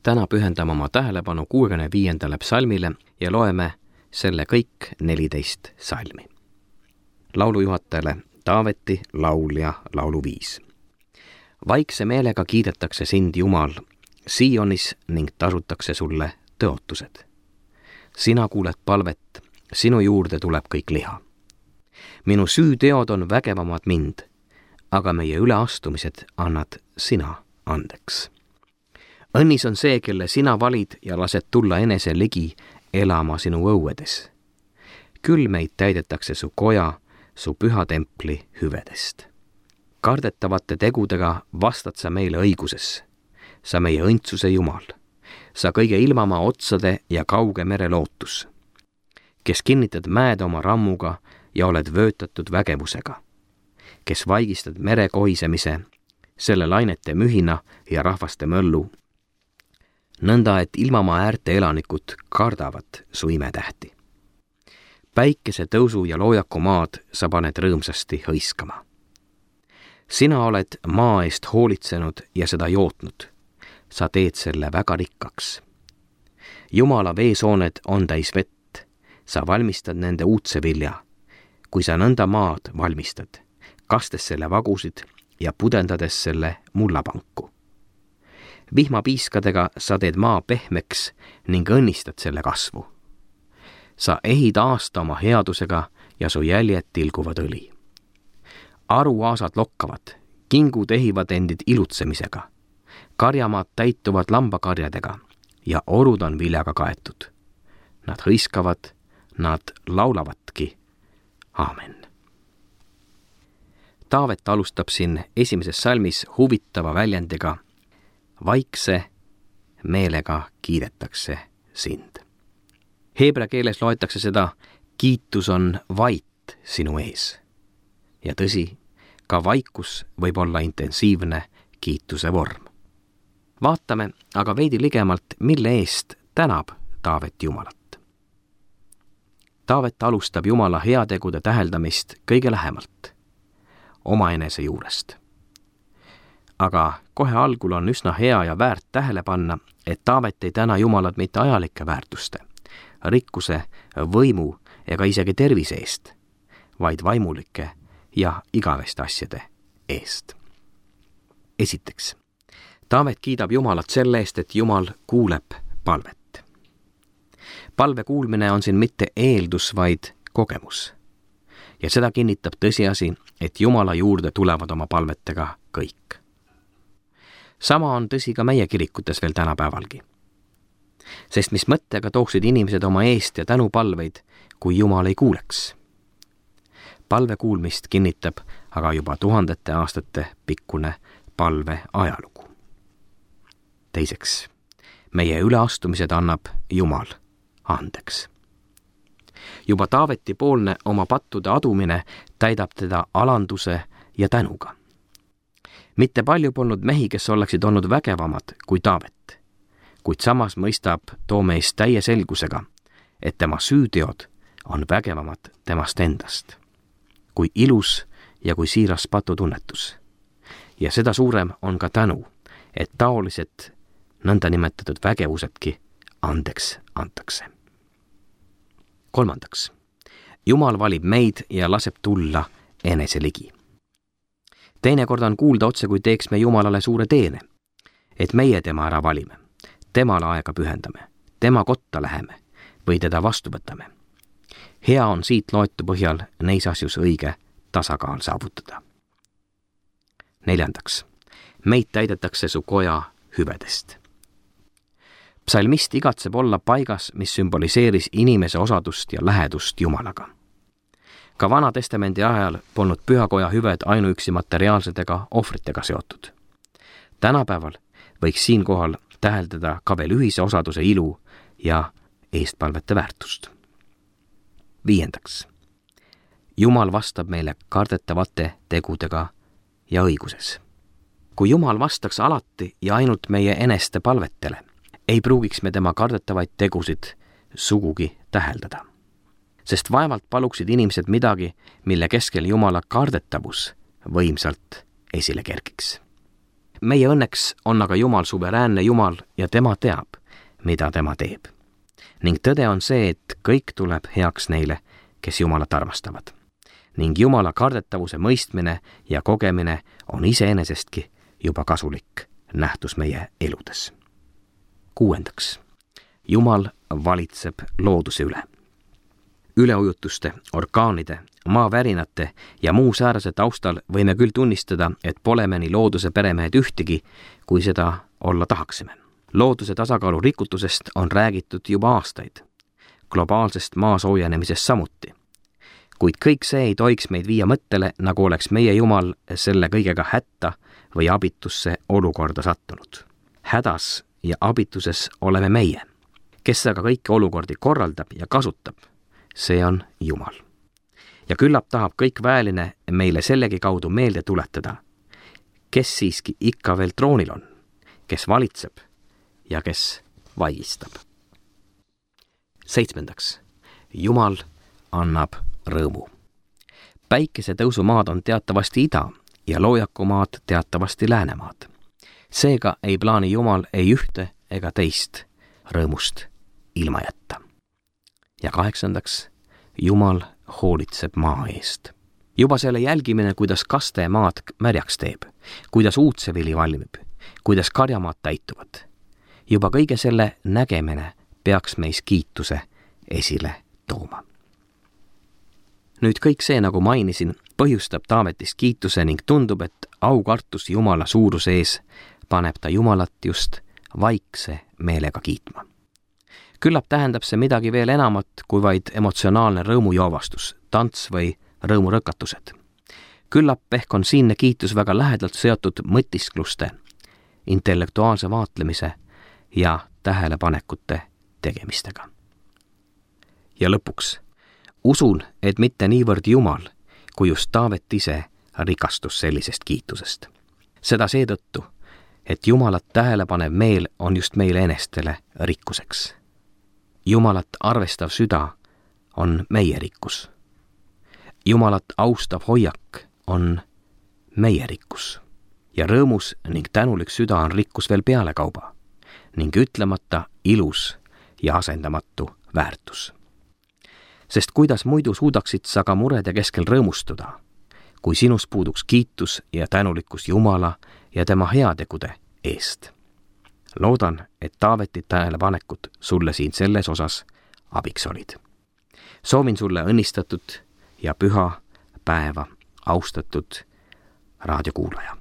täna pühendame oma tähelepanu 65. psalmile ja loeme selle kõik 14 salmi. Laulujuhatajale Taaveti laul ja laulu 5. Vaikse meelega kiidetakse sind, Jumal, Sionis ning tasutakse sulle tõotused. Sina kuuled palvet, sinu juurde tuleb kõik liha. Minu süüteod on vägevamad mind, aga meie üleastumised annad sina andeks. Õnnis on see, kelle sina valid ja lased tulla enese ligi elama sinu õuedes. Küll meid täidetakse su koja, su püha templi hüvedest. Kardetavate tegudega vastad sa meile õiguses. Sa meie õndsuse Jumal. Sa kõige ilmamaa otsade ja kauge mere lootus, kes kinnitad mäed oma rammuga ja oled vöötatud vägevusega, kes vaigistad mere kohisemise, selle lainete mühina ja rahvaste möllu, nõnda et ilmamaa äärte elanikud kardavad su imetähti. Päikese tõusu ja loojaku maad sa paned rõõmsasti hõiskama. Sina oled maa eest hoolitsenud ja seda jootnud. Sa teed selle väga rikkaks. Jumala veesooned on täis vett. Sa valmistad nende uudse vilja. Kui sa nõnda maad valmistad, kastes selle vagusid ja pudendades selle mullapanku. Vihmapiiskadega sa teed maa pehmeks ning õnnistad selle kasvu. Sa ehid aasta oma headusega ja su jäljed tilguvad õli. Aruaasad lokkavad, kingud ehivad endid ilutsemisega, karjamaad täituvad lambakarjadega ja orud on viljaga kaetud. Nad hõiskavad, nad laulavadki. Aamen. Taavet alustab siin 1. salmis huvitava väljendiga: vaikse meelega kiidetakse sind. Heebrea keeles loetakse seda: kiitus on vait sinu ees. Ja tõsi, ka vaikus võib olla intensiivne kiituse vorm. Vaatame aga veidi ligemalt, mille eest tänab Taavet Jumalat. Taavet alustab Jumala heategude täheldamist kõige lähemalt, omaenese juurest. Aga kohe algul on üsna hea ja väärt tähele panna, et Taavet ei täna Jumalat mitte ajalike väärtuste, rikkuse, võimu ega isegi tervise eest, vaid vaimulike ja igaveste asjade eest. Esiteks, Taavet kiidab Jumalat selle eest, et Jumal kuuleb palvet. Palve kuulmine on siin mitte eeldus, vaid kogemus. Ja seda kinnitab tõsiasi, et Jumala juurde tulevad oma palvetega kõik. Sama on tõsi ka meie kirikutes veel tänapäevalgi. Sest mis mõttega tooksid inimesed oma eest ja tänupalveid, kui Jumal ei kuuleks? Palve kuulmist kinnitab aga juba tuhandete aastate pikkune palve ajalugu. Teiseks, meie üleastumised annab Jumal andeks. Juba Taaveti poolne oma pattude adumine täidab teda alanduse ja tänuga. Mitte palju polnud mehi, kes oleksid olnud vägevamad kui Taavet, kuid samas mõistab too mees täie selgusega, et tema süüteod on vägevamad temast endast, kui ilus ja kui siiras patutunnetus. Ja seda suurem on ka tänu, et taolised nõndanimetatud vägevusedki andeks antakse. Kolmandaks, Jumal valib meid ja laseb tulla enese ligi. Teinekord on kuulda otse, kui teeks me Jumalale suure teene, et meie tema ära valime, temale aega pühendame, tema kotta läheme või teda vastu võtame. Hea on siit loetu põhjal neis asjus õige tasakaal saavutada. Neljandaks, meid täidetakse su koja hüvedest. Psalmist igatseb olla paigas, mis sümboliseeris inimese osadust ja lähedust Jumalaga. Ka Vana Testamendi ajal polnud pühakoja hüved ainuüksi materiaalsetega ohvritega seotud. Tänapäeval võiks siinkohal täheldada ka veel ühise osaduse ilu ja eestpalvete väärtust. Viiendaks, Jumal vastab meile kardetavate tegudega ja õiguses. Kui Jumal vastaks alati ja ainult meie eneste palvetele, ei pruugiks me tema kardetavaid tegusid sugugi täheldada. Sest vaevalt paluksid inimesed midagi, mille keskel Jumala kardetavus võimsalt esile kerkiks. Meie õnneks on aga Jumal suveräänne Jumal ja tema teab, mida tema teeb. Ning tõde on see, et kõik tuleb heaks neile, kes Jumalat armastavad. Ning Jumala kardetavuse mõistmine ja kogemine on iseenesestki juba kasulik nähtus meie eludes. 6. Jumal valitseb looduse üle. Üleujutuste, orkaanide, maavärinate ja muu säärase taustal võime küll tunnistada, et pole me nii looduse peremehed ühtegi, kui seda olla tahaksime. Looduse tasakaalu rikutusest on räägitud juba aastaid. Globaalsest maa soojenemisest samuti. Kuid kõik see ei tohiks meid viia mõttele, nagu oleks meie Jumal selle kõigega hätta või abitusse olukorda sattunud. Hädas ja abituses oleme meie. Kes aga kõiki olukordi korraldab ja kasutab, see on Jumal. Ja küllap tahab kõik väeline meile sellegi kaudu meelde tuletada, kes siiski ikka veel troonil on, kes valitseb ja kes vaigistab. 7. Jumal annab rõõmu. Päikesetõusumaad on teatavasti ida ja loojakumaad teatavasti läänemaad. Seega ei plaani Jumal ei ühte ega teist rõõmust ilma jätta. Ja 8. Jumal hoolitseb maa eest. Juba selle jälgimine, kuidas kaste maad märjaks teeb, kuidas uudsevili valmib, kuidas karjamaad täituvad. Juba kõige selle nägemine peaks meis kiituse esile tooma. Nüüd kõik see, nagu mainisin, põhjustab Taavetist kiituse ning tundub, et aukartus Jumala suuruse ees paneb ta Jumalat just vaikse meelega kiitma. Küllap tähendab see midagi veel enamat kui vaid emotsionaalne rõõmujoovastus, tants või rõõmurõkatused. Küllap ehk on siinne kiitus väga lähedalt seotud mõtiskluste, intellektuaalse vaatlemise ja tähelepanekute tegemistega. Ja lõpuks, usun, et mitte niivõrd Jumal, kui just Taavet ise rikastus sellisest kiitusest. Seda seetõttu, et Jumalat tähelepanev meel on just meile enestele rikkuseks. Jumalat arvestav süda on meie rikkus. Jumalat austav hoiak on meie rikkus. Ja rõõmus ning tänulik süda on rikkus veel pealekauba ning ütlemata ilus ja asendamatu väärtus. Sest kuidas muidu suudaksid sa ka murede keskel rõõmustuda, kui sinus puuduks kiitus ja tänulikkus Jumala ja tema heategude eest. Loodan, et Taaveti tähelepanekud sulle siin selles osas abiks olid. Soovin sulle õnnistatud ja püha päeva, austatud raadiokuulaja.